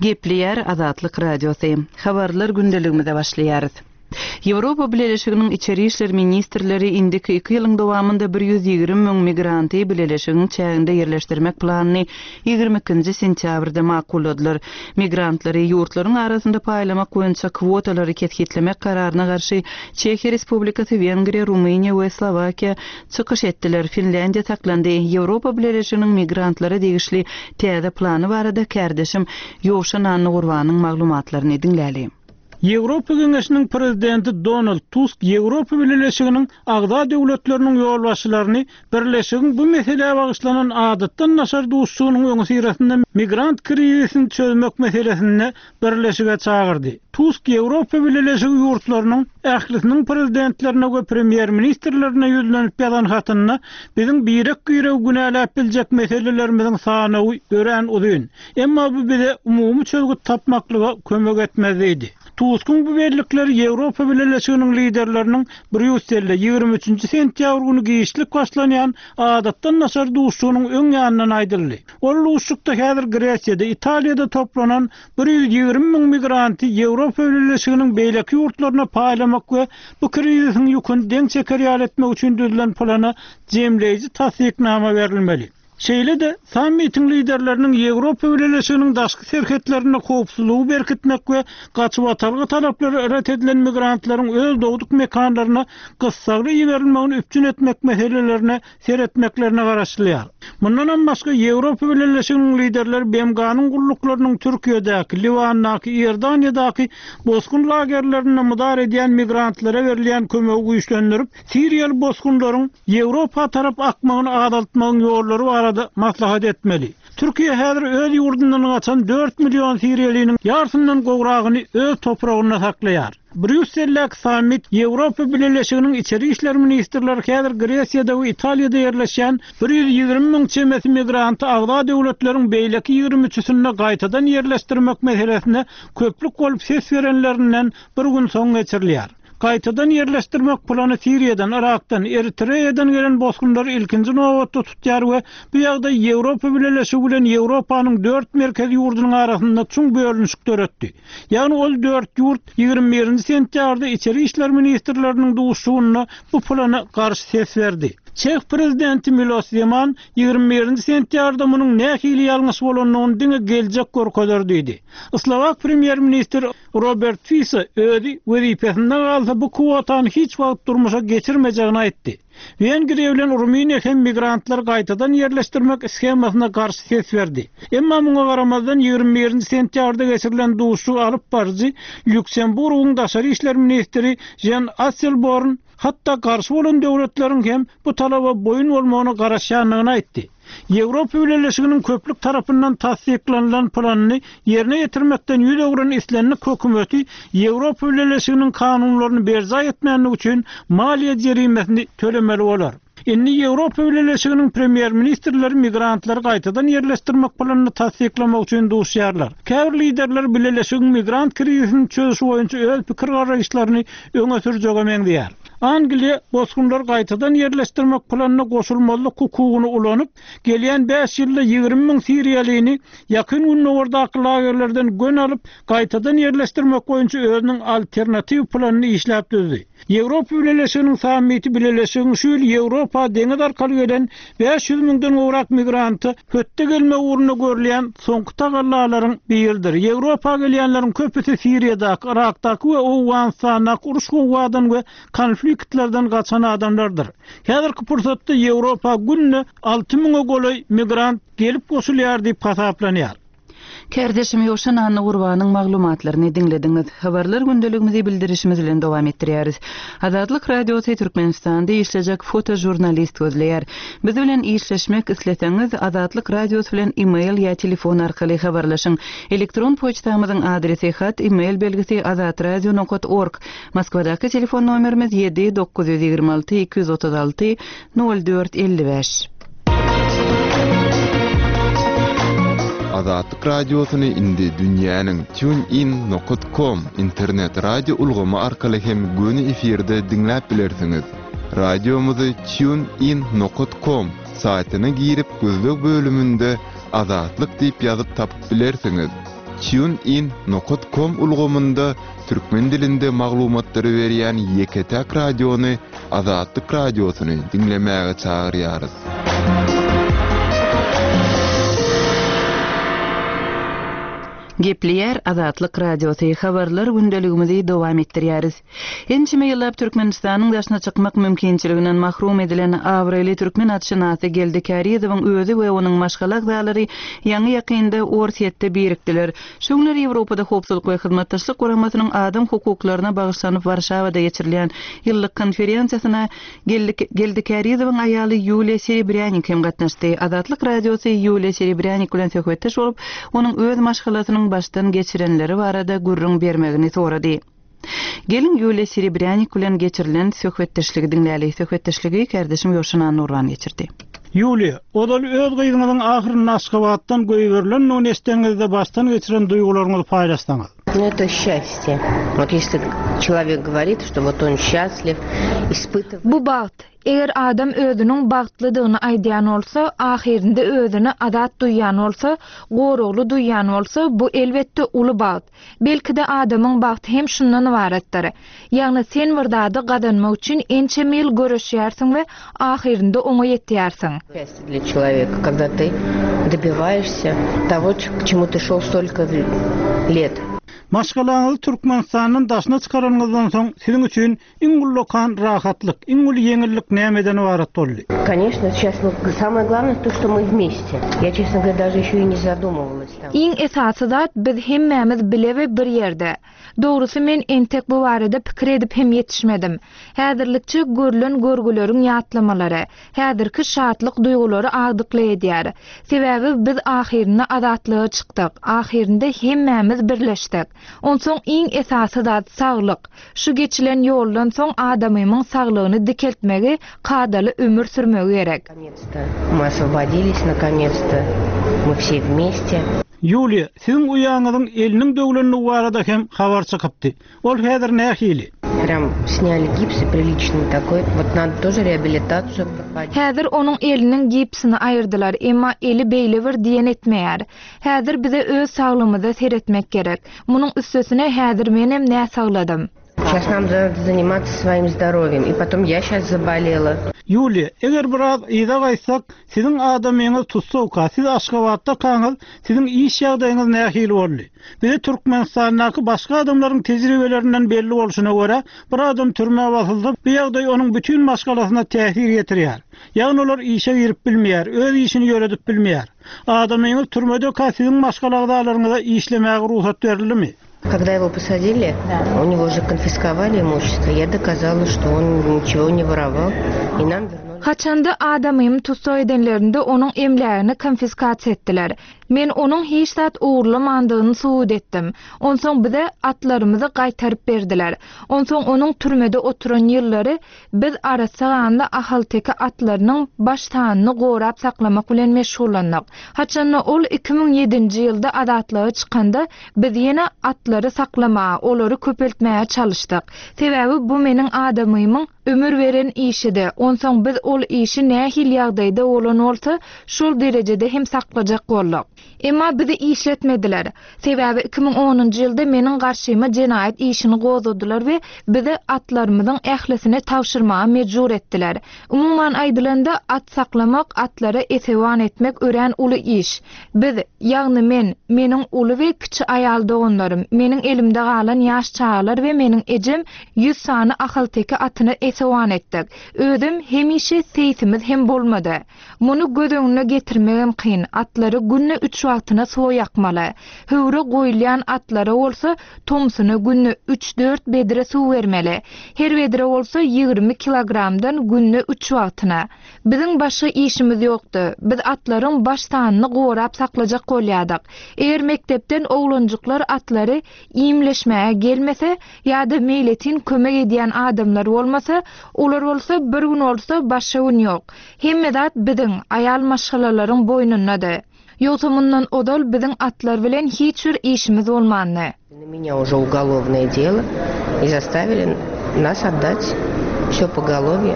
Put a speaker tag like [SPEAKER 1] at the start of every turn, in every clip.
[SPEAKER 1] Gepleýär Azatlyk Radiosy. Habarlar gündeligimize başlaýarys. Ýewropa Bileleşiginiň içeri işler ministrleri indiki iki ýylyň dowamynda 120 müň migranty bileleşigiň çäginde ýerleşdirmek planyny 22-nji sentýabrda makulladylar. Migrantlary ýurtlaryň arasynda paýlamak boýunça kwotalary kesgitlemek kararyna garşy Çehiýa Respublikasy, Wengriýa, Rumyniýa we Slowakiýa çykyş etdiler, Finlýandiýa saklandy. Ýewropa Bileleşiginiň migrantlara degişli täze plany barada kärdeşim Ýowşan Annagurbanyň maglumatlaryny diňläli.
[SPEAKER 2] Ýewropa Geňeşiniň Prezidenti Donald Tusk Ýewropa Bileleşiginiň agza döwletleriniň ýolbaşçylaryny Birleşigiň bu meselä bagyşlanan adatdan daşary duşuşygynyň öňüsyrasynda migrant krizisini çözmek meselesinde Birleşige çagyrdy. Tusk Ýewropa Bileleşigi ýurtlarynyň ählisiniň prezidentlerine we premýer-ministrlerine ýüzlenip ýazan hatynda, Biziň birek-biregi günäläp biljek meselelerimiziň sanawy örän uzyn. Emma bu bize umumy çözgüt tapmaklyga kömek etmez diýdi. Tuskyň bu bellikleri Ýewropa Bileleşiginiň liderleriniň Brýusselde 23-nji sentýabr güni giçlik başlanýan adatdan daşary duşuşygynyň öň ýanyndan aýdyldy. Ol duşuşykda häzir Gresiýada, Italiýada toplanan 120 müň migranty Ýewropa Bileleşiginiň beýleki ýurtlaryna paýlamak we bu krizisiň ýüküni deň çeker ýaly etmek üçin düzülen plana jemleýji tassyknama berilmeli. Şeýle-de, sammitiň liderleriniň Ýewropa Bileleşiginiň daşky serhetlerinde howpsuzlygy berkitmek we gaçybatalga talaplary ret edilen migrantlaryň öz dogduk mekanlaryna gyssagly iberilmegini üpjün etmek meselelerine seretmeklerine garaşylýar. Mundanam başga, Ýewropa Bileleşiginiň liderleri BMG-niň gulluklarynyň Türkiýedäki, Liwandaky, Iordaniýadaky bosgun lagerlerinde mydar edýän migrantlara berilýän kömegi güýçlendirip, siriýaly bosgunlaryň Ýewropa tarap akmagyny azaltmagyň ýollary barada maslahat etmeli. Türkiýe häzir öz ýurdundan gaçan dört million siriýalynyň ýarsyndan gowragyny öz topragynda saklaýar. Brýusseldäki sammit Ýewropa Bileleşiginiň içeri işler ministrleri häzir Gresiýada we Italiýada ýerleşýän 120 müň çemesi migranty agza döwletleriň beýleki ýigrimi üçüsinde gaýtadan ýerleşdirmek meselesine köplük bolup ses berenlerinden bir gün soň geçirilýär. Gaýtadan ýerleşdirmek plany Siriýadan, Yrakdan, Eritreýadan gelen bosgunlary ilkinji nobatda tutýar we bu ýagdaý Ýewropa Bileleşigi bilen Ýewropanyň dört merkezi ýurdunyň arasynda çuň bölünişik döretdi. Ýagny ol dört ýurt 21-nji sentýabrda içeri işler ministrleriniň duşuşygynda bu plana garşy ses berdi. Çeh prezidenti Milos Zeman 21-nji sentýabrda munuň nähili ýalňyş bolandygyny diňe geljek görkezer diýdi. Slowak premýer-ministri Robert Fiso özi wezipesinde galsa bu kwotany hiç wagt durmuşa geçirmejegini aýtdy. Wengriýa bilen Rumyniýa hem migrantlary gaýtadan ýerleşdirmek shemasyna garşy ses berdi. Emma muňa garamazdan 21-nji sentýabrda geçirilen duşuşygy alyp baryjy Lýuksemburgyň daşary işler ministri Žan Asselborn hatda garşy bolan döwletleriň hem bu talaba boýun bolmagyna garaşýandygyny aýtdy. Ýewropa Bileleşiginiň köplük tarapyndan tassyklanylan planyny ýerine ýetirmekden ýüz öwren islendik hökümeti Ýewropa Bileleşiginiň kanunlaryny berjaý etmänligi üçin maliýe jerimesini tölemeli bolar. Indi Ýewropa Bileleşiginiň premýer-ministrleri migrantlary gaýtadan ýerleşdirmek planyny tassyklamak üçin duşýarlar. Käbir liderler Bileleşigiň migrant krizisini çözüşi boýunça öz pikir-garaýyşlaryny öňe sürjege meňzeýär. Angliýa bosgunlary gaýtadan ýerleşdirmek planyna goşulmazlyk hukugyny ulanyp, gelýän bäş ýylda 20 müň siriýalyny Ýakyn Gündogardaky lagerlerden gön alyp, gaýtadan ýerleşdirmek boýunça özüniň alternatiw planyny işläp düzdi. Ýewropa Bileleşiginiň sammiti Bileleşigiň şu ýyl Ýewropa deňiz arkaly gelen 500 müňden gowrak migranta hötde gelmek ugrunda görülýän soňky tagallalaryň biridir. Ýewropa gelýänleriň köpüsi Siriýadaky, Yrakdaky we Owganystandaky uruş-gowgadan we konfliktlerden gaçan adamlardyr. Häzirki pursatda Ýewropa günde alty müňe golaý migrant gelip goşulýar diýip hasaplanýar.
[SPEAKER 1] Kärdeşim Ýowşan Annagurbanyň maglumatlaryny diňlediňiz. Habarlar gündeligimizi bildirişimiz bilen dowam etdirýäris. Azatlyk Radiosy Türkmenistanda işlejek fotožurnalist gözleýär. Biz bilen işleşmek isleseňiz, Azatlyk Radiosy bilen e-mail ýa telefon arkaly habarlaşyň. Elektron poçtamyzyň adresi, hat, e-mail belgisi azatradio nokat org. Moskwadaky telefon nomerimiz 7 926 236 04 55.
[SPEAKER 3] Azatlyk Radiosyny indi dünýäniň TuneIn nokat kom internet radio ulgamy arkaly hem göni efirde diňläp bilersiňiz. Radiomyzy TuneIn nokat kom saýtyna girip gözleg bölüminde Azatlyk diýip ýazyp tapyp bilersiňiz. TuneIn nokat kom ulgamynda türkmen dilinde maglumatlary berýän ýeke-täk radiony Azatlyk Radiosyny diňlemäge çagyrýarys.
[SPEAKER 1] Gepleýär Azatlyk Radiosy, Habarlar gündeligimizi dowam etdirýäris. Ençeme ýyllap Türkmenistanyň daşyna çykmak mümkinçiliginden mahrum edilen abraýly türkmen atşynasy Geldi Kärizowyň özi we onuň maşgala agzalary ýaňy-ýakynda Orsýetde birikdiler. Şu günler Ýewropada Howpsuzlyk we Hyzmatdaşlyk Guramasynyň adam hukuklaryna bagyşlanyp Warşawada geçirilýän ýyllyk konferensiýasyna Geldi Geldi Kärizowyň aýaly Ýuliýa Serebrýanik hem gatnaşdy. Azatlyk Radiosy Ýuliýa Serebrýanik bilen söhbetdeş bolup, onuň öz maşgalasynyň başdan geçirenleri barada gürrüň bermegini sorady. Geliň, Ýuliýa Serebrýanik bilen geçirilen söhbetdeşligi diňläli. Söhbetdeşligi kärdeşim Ýowşan Annurban geçirdi.
[SPEAKER 2] Ýuliýa, ozal öz gyzyňyzyň ahyrynda Aşgabatdan goýberilendigini eşideniňizde başdan geçiren duýgularyňyzy paýlaşsaňyz.
[SPEAKER 4] Nu eto sçastýe. Wot ýesli çelowek goworit, çto wot on sçastliw, ispytywaet.
[SPEAKER 5] Bu bagt. Eger adam özüniň bagtlydygyny aýdýan bolsa, ahyrynda özüni azat duýýan bolsa, goragly duýýan bolsa, bu elbetde uly bagt. Belki-de adamyň bagty hem şundan ybaratdyr. Ýagny sen bir zady gazanmak üçin ençeme ýyl göreşýärsiň we ahyrynda oňa ýetýärsiň.
[SPEAKER 4] Счастье для человека, когда ты добиваешься того, к чему ты шел столько лет.
[SPEAKER 2] Maşgalaňyzy Türkmenistandan daşyna çykaranyňyzdan soň siziň üçin Iň ullakan rahatlyk, iň uly ýeňillik nämeden ybarat boldy?
[SPEAKER 4] Koneçno, seyças мы, samoe glawnoe to, çto my wmeste. Ýa, çestno goworýa, daže ýeşe i ne zadumywalas tam.
[SPEAKER 5] Iň esasy zat, biz hemmämiz bile we bir ýerde. Dogrusy, men entek bu barada pikir edip hem ýetişmedim. Häzirlikçe görlen görgüleriň ýatlamalary, häzirki şatlyk duýgulary agdykly edýär. Sebäbi biz ahyrynda azatlyga çykdyk, ahyrynda hemmämiz birleşdik. Onsoň iň esasy zat saglyk. Şu geçilen ýoldan soň adamymyň saglygyny dikeltmegi, kadaly ömür sürmegi gerek.
[SPEAKER 4] Мы osvobodilis nakonec-to, мы vse vmeste.
[SPEAKER 2] Ýuliýa, siziň uýaňyzyň eliniň döwlendigi barada hem habar çykypdy. Ol häzir nähili?
[SPEAKER 4] Prýam snýali gips i priliçnyý takoý, wot nado tože reabilitasiýu prohodit.
[SPEAKER 5] Häzir onuň eliniň gipsini aýyrdylar, emma eli beýle bir diýen etmeýär. Häzir bize öz saglygymyza seretmek gerek. Munuň üstesine häzir menem näsagladym.
[SPEAKER 4] Şas nam nado zanimatsa svoim zdorowýem i potom ýa şas zabolela.
[SPEAKER 2] Ýuliýa, eger biraz yza gaýtsak, siziň adamyňyz tussagka, siz Aşgabatdakaňyz, siziň iş ýagdaýyňyz nähili boldy? Bize Türkmenistandaky başga adamlaryň tejribelerinden belli bolşuna görä, bir adam türmä basylsa, bu ýagdaý onuň bütin maşgalasyna täsir ýetirýär. Ýagny olar işe girip bilmeýär, öz işini ýöredip bilmeýär. Adamyňyz türmedeka siziň maşgala agzalaryňyza işlemäge rugsat berildimi?
[SPEAKER 4] Когда его посадили, у него же konfiskowali имущество, я доказала, что он ничего не воровал, и нам вернули.
[SPEAKER 5] Haçanda adamymy tussag edenlerinde onuň emlägini konfiskasiýa etdiler. Men onuň hiç zat ogurlamandygyny subut etdim. Onsoň bize atlarymyzy gaýtaryp berdiler. Onsoň onuň türmede oturan ýyllary Biz arassa ganly ahalteke atlarynyň baş sanyny gorap saklamak bilen meşgullandyk. Haçanda ol 2007-nji ýylda azatlyga çykanda, biz ýene atlary saklamaga, olary köpeltmäge çalyşdyk. Sebäbi bu meniň adamymyň ömür beren işidi. Onsoň biz ol işi nähili ýagdaýda bolan bolsa, şol derejede hem saklajak bolduk. Emma bizi işletmediler. Sebäbi 2010-njy ýylda meniň garşyma jenaýat işini gozgadylar we bizi atlarymyzyň ählisini tabşyrmaga mejbur etdiler. Umuman aýdylanda, at saklamak, atlara esewan etmek örän uly iş. Biz, ýagny men, meniň uly we kiçi aýal doganlarym, meniň elimde galan ýaş çagalar we meniň ejem ýüz sany ahalteke atyna esewan etdik. Özem hemişe seýsimiz hem bolmady. Muny göz öňüne getirmegem kyn, atlary günde üç wagtyna suwa ýakmaly. Höwre goýulýan atlara bolsa tomsuna günde üç-dört bedre suw bermeli. Her bedre bolsa 20 kilogramdan günde üç wagtyna. Biziň başga işimiz ýokdy. Biz atlaryň baş sanyny gorap saklajak bolýardyk. Eger mekdepden oglanjyklar atlary iýmleşmäge gelmese ýa-da meýletin kömek edýän adamlar bolmasa, olar bolsa bir gün bolsa başga gün ýok. Hemme zat biziň, aýal maşgalalaryň boýnundady. Ýogsa mundan ozal biziň atlar bilen hiç bir işimiz bolmandy.
[SPEAKER 4] Na menýa uje ugolovnoe delo i zastavili nas otdat. Все поголовье.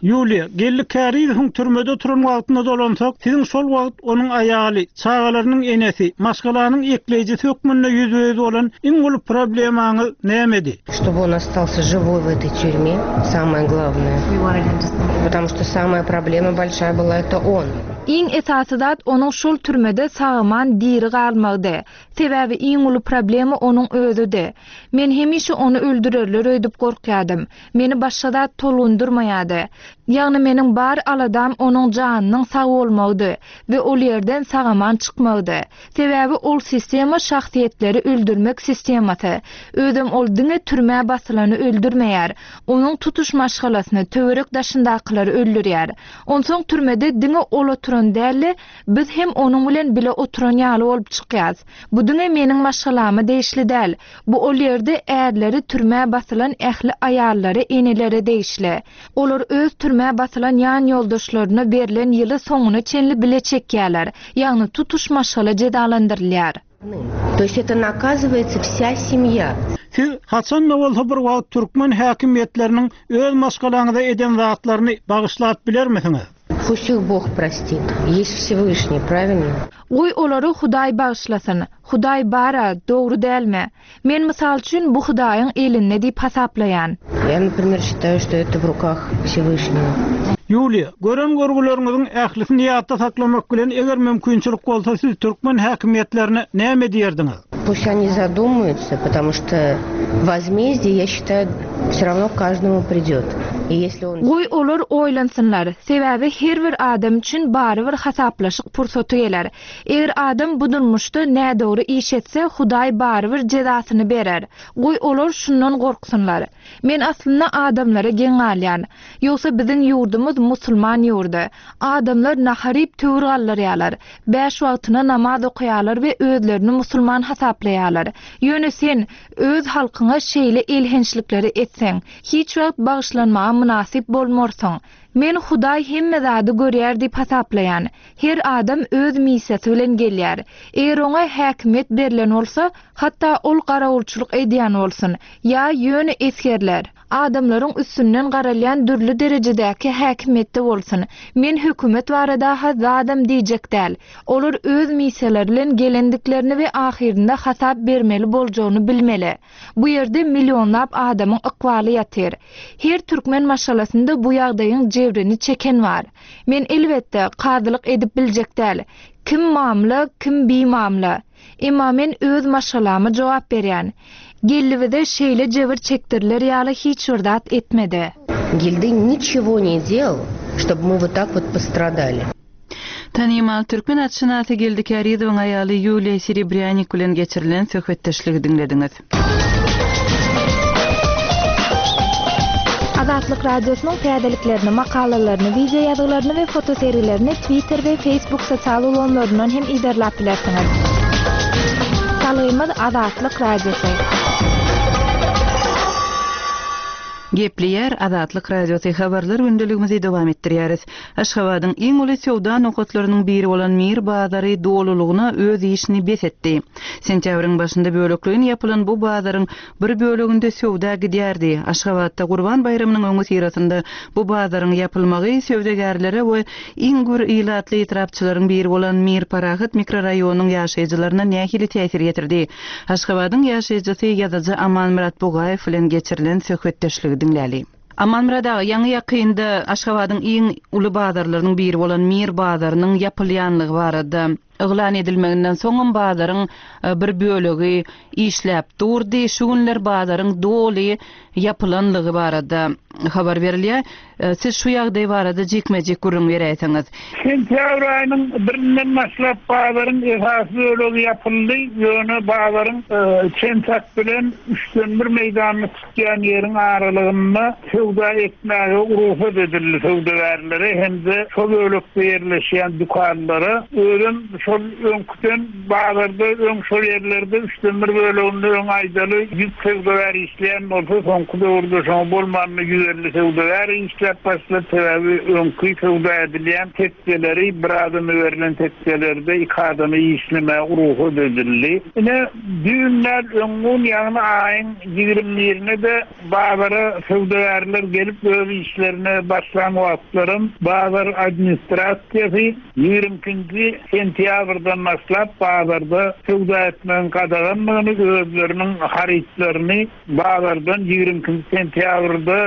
[SPEAKER 2] Ýuliýa, Geldi Kärizowyň türmede oturan wagtyna dolansak, siziň şol wagt onuň aýaly, çagalarynyň enesi, maşgalanyň ekleýjisi hökmünde ýüzbe-ýüz bolan iň uly problemaňyz nämedi?
[SPEAKER 4] Чтобы он остался живой в этой тюрьме, самое главное. Потому что самая проблема большая была это он.
[SPEAKER 5] Iň esasy zat onuň şol türmede sag-aman diri galmagydy. Sebäbi iň uly problema onuň özüdi. Men hemişe ony öldürerler öýdüp gorkýadym. Meni başga zat tolgundyrmaýady. Ýagny meniň bar aladam onuň janynyň sag bolmagydy we ol ýerden sag-aman çykmagydy. Sebäbi ol sistema şahsyýetleri öldürmek sistemasy. Özem ol diňe türmä basylany öldürmeýär. Onuň tutuş maşgalasyny, töwerek-daşyndakylary öldürýär. Onsoň türmede diňe ol oturan däl-de, biz hem onuň bilen bile oturan ýaly bolup çykýas. Bu diňe meniň maşgalama degişli däl. Bu ol ýerde ärleri türmä basylan ähli aýallara, enelere degişli. Olar öz türmä basylan ýan ýoldaşlaryna berlen ýyly soňuna çenli bile çekýärler. Ýagny tutuş maşgala jezalandyrylýar.
[SPEAKER 4] To ýest eto nakazywaýtsa wsýa semýa.
[SPEAKER 2] Siz haçan-da bolsa bir wagt türkmen häkimiýetleriniň öz maşgalaňyza eden zatlaryny bagyşlap bilermisiňiz?
[SPEAKER 4] Pust ih Bog prostit. Ýest Wsewyşniý, prawilno?
[SPEAKER 5] Goý olary Hudaý bagyşlasyn. Hudaý bar-a, dogry dälmi? Men mysal üçin bu Hudaýyň elinde diýip hasaplaýan.
[SPEAKER 4] Ýa naprimer şitaýu şto eto w rukah Wsewyşnigo.
[SPEAKER 2] Ýuliýa, gören görgüleriňiziň ählisini ýatda saklamak bilen eger mümkinçilik bolsa siz türkmen häkimiýetlerine näme diýerdiňiz?
[SPEAKER 4] Pust oni zadumаются, потому что возмездие, я считаю, все равно каждому придет. И если он.
[SPEAKER 5] Goý olar oýlansynlar, sebäbi her bir adam üçin barybir hasaplaşyk pursaty geler. Eger adam bu durmuşda nädogry iş etse, Hudaý barybir jezasyny berer. Goý, olar şundan gorksynlar. Men aslynda adamlara geň galýan. Ýogsa biziň ýurdumyz musulman ýurdy. Adamlar nahar iýip töwir galdyrýarlar. Bäş wagtyna namaz okaýarlar we özlerini musulman hasaplaýarlar. Ýöne sen öz halkyňa şeýle elhençlikleri etseň, hiç wagt bagyşlanmaga mynasyp bolmarsyň. Men Hudaý hemme zady görýär diýip hasaplaýan. Her adam öz missiýasy bilen gelýär. Eger oňa häkimiýet berlen bolsa, hatda ol garawulçylyk edýän bolsun, ýa ýöne esgerler, adamlaryň üstünden garalýan dürli derejedäki häkimiýetde bolsun, men hökümet barada-ha zadam diýjek däl. Olar öz missiýalary bilen gelendiklerini we ahyrynda hasap bermeli boljagyny bilmeli. Bu ýerde millionlap adamyň ykbaly ýatyr. Her türkmen maşgalasynda bu ýagdaýyň jebrini çeken bar. Men elbetde, kazylyk edip biljek däl. Kim mamla, kim bimamla. Emma men öz maşgalama jogap berýän. Geldi bize şeýle jebir çekdiriler ýaly hiç bir zat etmedi.
[SPEAKER 4] Geldi niçego ne delal, ştob my wot tak wot postradali.
[SPEAKER 1] Tanymal türkmen atşynasy Geldi Kärizowyň aýaly Ýuliýa Serebrýanik bilen geçirilen söhbetdeşligi diňlediňiz.
[SPEAKER 5] Azatlyk Radiosynyň täzeliklerini, makalalaryny, wideo ýazgylaryny we fotosergilerini Twitter we Facebook sosial ulgamlaryndan hem yzarlap bilersiňiz. Salgymyz Azatlyk Radiosy.
[SPEAKER 1] Gepleýär Azatlyk Radiosy Habarlar gündeligimizi dowam etdirýäris. Aşgabadyň iň uly söwda nokatlarynyň biri bolan Mir bazary dolulygyna öz işini bes etdi. Sentýabryň başynda bölekleýin ýapylan bu bazaryň bir böleginde söwda gidýärdi. Aşgabatda Gurban baýramynyň öňüsyrasynda bu bazaryň ýapylmagy söwdagärlere we iň gür ilatly etrapçalaryň biri bolan Mir Parahat mikroraýonynyň ýaşaýjylaryna nähili täsir ýetirdi? Aşgabadyň ýaşaýjysy ýazyjy Amanmyrat Bugaýew bilen geçirilen söhbetdeşligi diňläli. Amanmyrat aga, ýaňy-ýakynda Aşgabadyň iň uly bazarlarynyň biri bolan Mir bazarynyň ýapylýanlygy barada yglan edilmeginden soňam bazaryň bir bölegi işläp durdy. Şu günler bazaryň doly ýapylanlygy barada habar berilýär. Siz şu ýagdaý barada jikme-jik gürrüň beräýseňiz.
[SPEAKER 6] Sentýabr aýynyň birinden başlap bazaryň esasy bölegi ýapyldy, ýöne bazaryň çen-çak bilen üçden bir meýdanyny tutýan ýeriň aralygynda söwda etmäge rugsat edildi söwdagärlere hem-de şo bölekde ýerleşýän dükanlara. Özem şo. şol öňküden bazarda öň şol ýerlerde üçden bir böleginde öň aýdaly 100 söwdagär işleýän bolsa, soňky döwürde şoňa bolmanda 150 söwdagär işläp başlady. Sebäbi öňki söwda edilýän tekjeleri bir adama berlen tekjelerde iki adama işlemäge rugsat edildi. Ine, düýn däl, öňňun, ýagny aýyň ýigrimi birine-de Bazara söwdagärler gelip öz işlerine başlan wagtlaram bazar administrasiýasy ýigrimi ikinji sentýabrdan başlap bazarda söwda etmegiň gadagandygyny, özleriniň harytlaryny bazardan ýigrimi ikinji sentýabrda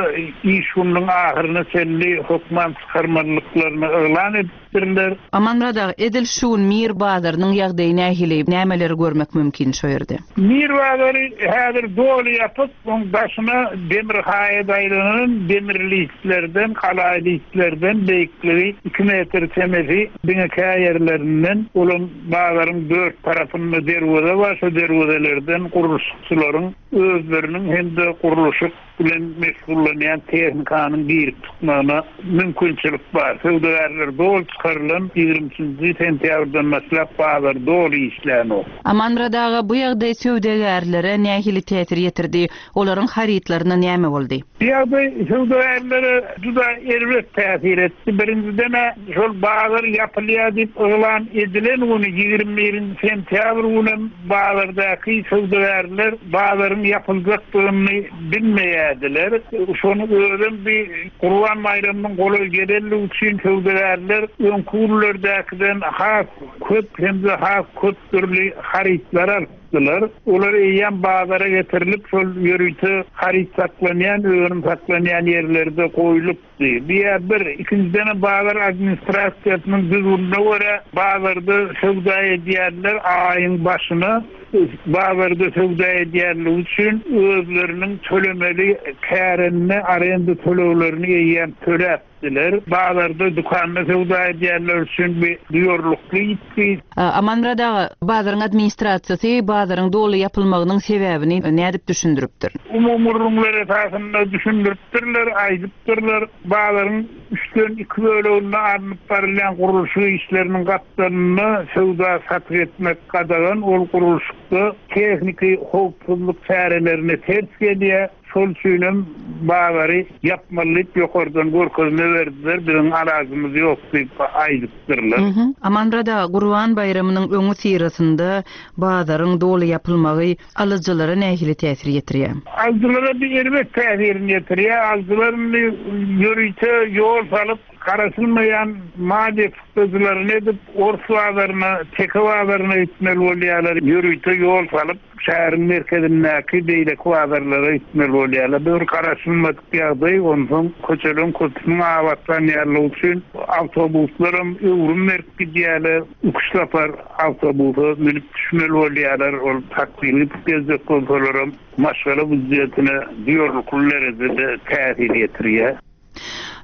[SPEAKER 6] iş gününiň ahyryna çenli hökman çykarmalydyklaryny yglan edipdirler. Birler.
[SPEAKER 1] Amanmyrat aga, edil şu gün Mir bazarynyň ýagdaýy nähili, nämeleri görmek mümkin şo ýerde?
[SPEAKER 6] Mir bazary häzir doly ýapyk, oň daşyna demir haýat aýlanan, demir listlerden, galaýy listlerden beýikligi iki metr çemesi, diňe kä ýerlerinden, olam bazaryň dört tarapynda derweze bar, şo derwezelerden gurluşykçylaryň özleriniň hem-de gurluşyk bilen meşgullanýan tehnikanyň girip çykmagyna mümkinçilik bar. Söwdagärler doly çykarylan ýigrimi üçünji sentýabrdan başlap bazar doly işlänok.
[SPEAKER 1] Amanmyrat aga, bu ýagdaý söwdagärlere nähili täsir ýetirdi? Olaryň harytlaryna näme boldy?
[SPEAKER 6] Bu ýagdaý söwdagärlere juda erbet täsir etdi. Birinjiden-ä, şol bazar ýapylýar diýip yglan edilen güni, ýigrimi birinji sentýabr günem Bazardaky söwdagärler bazaryň ýapyljakdygyny bilmeýärdiler. Şonuň özem bir Gurban baýramynyň golaý gelenligi üçin söwdagärler öňki günlerdäkiden has köp hem-de has köp dürli harytlary alypdylar. Olar eýýäm bazara getirilip, şol ýörite haryt saklanýan, önüm saklanýan ýerlerde goýlup, Diýýär bir. Ikinjidenem bazar administrasiýasynyň düzgünine görä bazarda söwda edýänler aýyň başyna bazarda söwda edýänligi üçin özleriniň tölemeli kärende arenda töleglerini eýýäm töläpdiler. Bazarda dükanda söwda edýänler üçin bu duýarlykly ýitgi.
[SPEAKER 1] Amanmyrat aga, bazaryň administrasiýasy bazaryň doly ýapylmagynyň sebäbini nädip düşündiripdir?
[SPEAKER 6] Umumy gürrüňler esasynda düşündiripdirler, aýdypdyrlar. Bazaryň üçden iki böleginde alnyp barylýan gurluşyk işleriniň gapdalynda söwda-satyk etmek gadagan, ol gurluşykda tehniki howpsuzlyk çärelerine ters gelýär. Şol üçinem bazary ýapmaly diýip ýokardan görkezme berdiler, biziň alajymyz ýok diýip aýdypdyrlar.
[SPEAKER 1] Amanmyrat aga, Gurban baýramynyň öňüsyrasynda bazaryň doly ýapylmagy alyjylara nähili täsir ýetirýär?
[SPEAKER 6] Alyjylara bir erbet täsirini ýetirýär. Alyjylar indi ýörite ýol salyp, garaşylmaýan maliýe çykdajylaryny edip, ors bazaryna, teke bazaryna gitmeli bolýarlar. Ýörite ýol salyp, Şäheriň merkezindäki beýleki bazarlara gitmeli bolýarlar. Bu bir garaşylmadyk ýagdaý. Onsoň köçeleriň köpüsiniň abatlanýanlygy üçin awtobuslaram öwrüm berip gidýärler. Iki-üç sapar awtobusa münüp düşmeli bolýarlar. Ol taksili gidip geljek bolsalaram maşgala býujetine duýarlykly derejede täsir ýetirýär.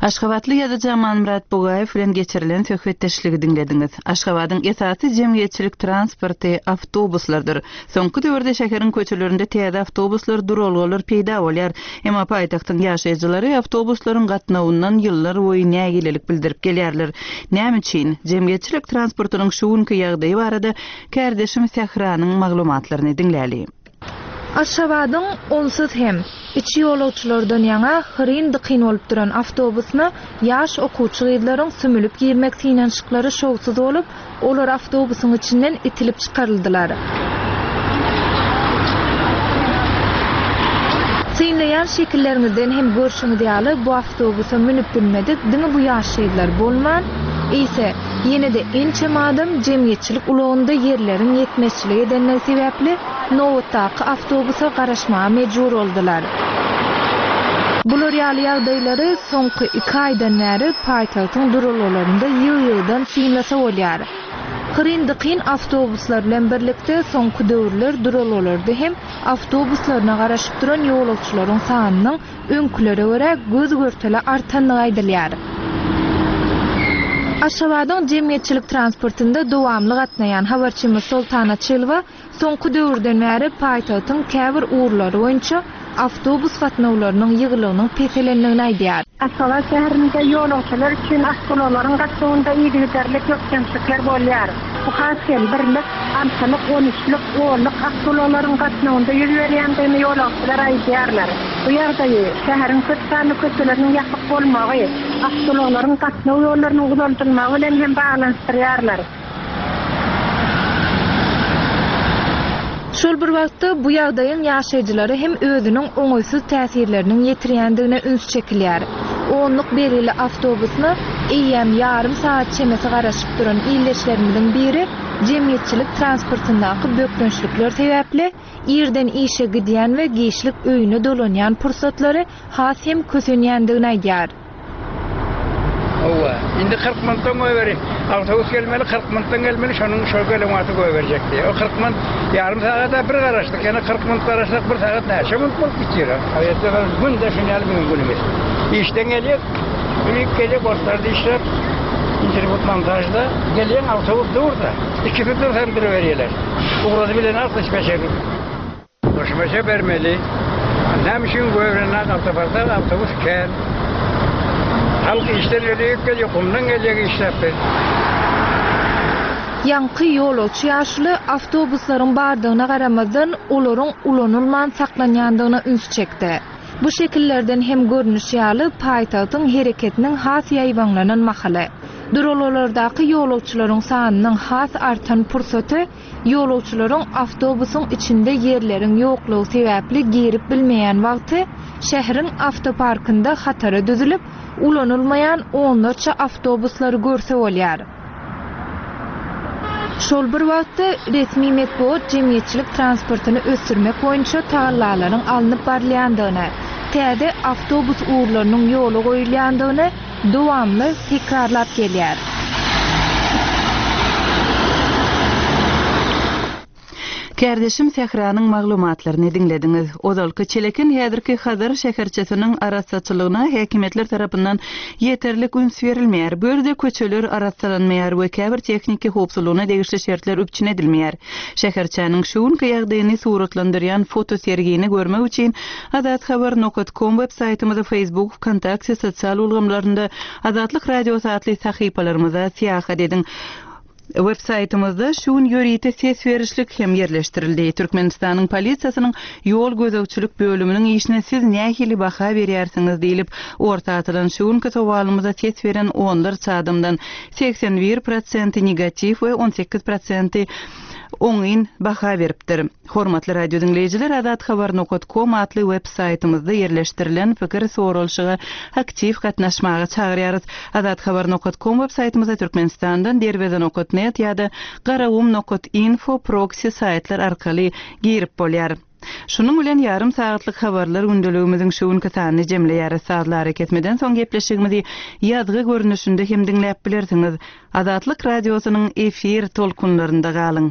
[SPEAKER 1] Aşgabatly ýazyjy Amanmyrat Bugaýew bilen geçirilen söhbetdeşligi diňlediňiz. Aşgabadyň esasy jemgyýetçilik transporty awtobuslardyr. Soňky döwürde şäheriň köçelerinde täze awtobuslar, duralgalar peýda bolýar. Emma paýtagtyň ýaşaýjylary awtobuslaryň gatnawyndan ýyllar boýy nägilelik bildirip gelýärler. Näme üçin? Jemgyýetçilik transportynyň şu günki ýagdaýy barada kärdeşim Sähranyň maglumatlaryny diňläli.
[SPEAKER 5] Aşgabadyň onsuz hem, içi ýolagçylardan ýaňa hyryn-dykyn bolup duran awtobusyna ýaş okuwçy gyzlaryň sümülip girmek synanyşyklary şowsuz bolup, olar awtobusyň içinden itilip çykaryldylar. Synlaýan şekilleriňizden hem görşüňiz ýaly, bu awtobusa münüp bilmedik diňe bu ýaş gyzlar bolman, eýse, ýene-de ençeme adam jemgyýetçilik ulagynda ýerleriň ýetmezçilik edenligi sebäpli, nobatdaky awtobusa garaşmaga mejbur boldular. Bular ýaly ýagdaýlary soňky iki aýdan bäri paýtagtyň duralgalarynda ýygy-ýygydan synlasa bolýar. Hyryn-dykyn awtobuslar bilen birlikde soňky döwürler duralgalarda hem awtobuslaryna garaşyp duran ýolagçylaryň sanynyň öňkülere görä göz-görtele artandygy aýdylýar. Aşgabadyň jemgyýetçilik transportynda dowamly gatnaýan habarçymyz Soltan Açylowa Soňky döwürden bäri paýtagtyň käbir ugurlary boýunça awtobus gatnawlarynyň ýygylygynyň peselendigini aýdýar.
[SPEAKER 7] Aşgabat şäherinde ýolagçylar üçin awtoulaglaryň gatnawynda yzygiderli bökdençlikler bolýar. Bu has hem birlik, altylyk, on üçlük, onluk awtoulaglaryň gatnawynda ýüz berýändigini ýolagçylar aýdýarlar. Bu ýagdaýy şäheriň köp sanly köçeleriniň ýapyk bolmagy, awtoulaglaryň gatnaw ýollarynyň uzaldylmagy bilen hem baglanyşdyrýarlar.
[SPEAKER 5] Şol bir wagtda, bu ýagdaýyň ýaşaýjylara hem özüniň oňaýsyz täsirleriniň ýetirýändigine üns çekilýär. Onluk belgili awtobusyna eýýäm ýarym sagat çemesi garaşyp duran ildeşlerimiziň biri jemgyýetçilik transportyndaky bökdençlikler sebäpli irden işe gidýän we giçlik öýüne dolanýan pursatlary has hem kösenýändigini aýdýar.
[SPEAKER 8] Hawa, indi 40 minutdan goýberi. Awtobus gelmeli, 40 minutdan gelmeli, şonuň şol gelen wagty goýberjek diýýär. O 40 minut, ýarym sagada bir garaşdyk, ýene 40 minut garaşsak, bir sagat näçe minut bolup gitýär. Aýatda bir günde şuny ýaly biziň günümiz. Işden gelýär, ülüp gelýär, goşlarda işläp, interwýu montažda gelýän awtobus dur-da. Ikisi dursa hem duruberýärler. Ugrady bilen 65 Goşmaça bermeli. Näme üçin göwrenok awtoparkda awtobus kän. Halk işden öýe gelýär, gumdan gelýär işläp biz.
[SPEAKER 5] Ýaňky ýolagçy ýaşuly awtobuslaryň bardygyna garamazdan, olaryň ulanylman saklanýandygyna üns çekdi. Bu şekillerden hem görnüşi ýaly, paýtagtyň hereketiniň has ýaýbaňlanan mahaly, duralgalardaky ýolagçylaryň sanynyň has artan pursaty Ýolagçylaryň awtobusyň içinde ýerleriň ýoklugy sebäpli girip bilmeýän wagty şäheriň awtoparkynda hatara düzülip, ulanylmaýan onlarça awtobuslary görse bolýar. Şol bir wagtda, resmi metbugat jemgyýetçilik transportyny ösdürmek boýunça tagallalaryň alnyp barylýandygyny, täze awtobus ugurlarynyň ýola goýulýandygyny dowamly tekrarlap gelýär.
[SPEAKER 1] Kärdeşim Sähranyň maglumatlaryny diňlediňiz. Ozalky Çeleken häzirki Hazar şäherçesiniň arassaçylygyna häkimiýetler tarapyndan ýeterlik üns berilmeýär. Bu ýerde köçeler arassalanmaýar we käbir tehniki howpsuzlygyna degişli şertler üpjün edilmeýär. Şäherçäniň şu günki ýagdaýyny suratlandyrýan fotosergini görmek üçin Azathabar nokat kom web saýtymyza Facebook, Wkontakte sosial ulgamlarynda Azatlyk Radiosy atly sahypalarymyza syýahat ediň. Web saýtymyzda şu gün ýörite ses berişlik hem ýerleşdirildi. Türkmenistanyň polisiýasynyň ýol gözegçilik bölüminiň işine siz nähili baha berýärsiňiz diýlip orta atylan şu günki sowalymyza ses beren onlarça adamdan 81 prosenti negatiw we 18 prosenti oňyn baha beripdir. Hormatly radio diňleýjiler Azathabar nokat kom atly web saýtymyzda ýerleşdirilen pikir soralyşyga aktiw gatnaşmaga çagyrýarys. Azathabar nokat kom web saýtymyza Türkmenistandan Derweze nokat net ýa-da Garagum nokat info proksi saýtlar arkaly girip bolýar. Şunuň bilen ýarym sagatlyk habarlar gündeligimiziň şu günki sanyny jemleýäris. Sazly arakesmeden soň gepleşigimizi ýazgy görnüşinde hem diňläp bilersiňiz. Azatlyk Radiosynyň efir tolkunlarynda galyň.